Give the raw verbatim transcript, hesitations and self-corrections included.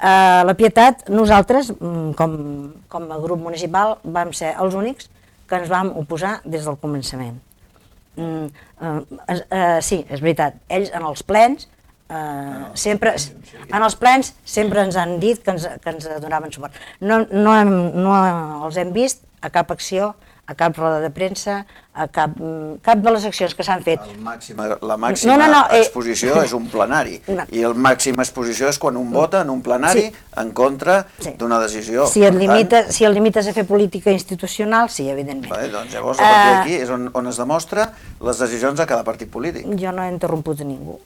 La Pietat, nosaltres, com, com a grup municipal, vam ser els únics que ens vam oposar des del començament. Mm, uh, uh, sí, és veritat, ells en els plens, uh, sempre, en els plens sempre ens han dit que ens, que ens donaven suport. No, no, hem, no els hem vist a cap acció, a cap roda de premsa, a cap, cap de les accions que s'han fet. El màxima, la màxima no, no, no, exposició eh... és un plenari, no. I el màxima exposició és quan un vota en un plenari sí. En contra sí. D'una decisió. Si et, limita, tant... si et limites a fer política institucional, sí, evidentment. Bé, doncs llavors, a partir d'aquí és on, on es demostra les decisions de cada partit polític. Jo no he interromput a ningú.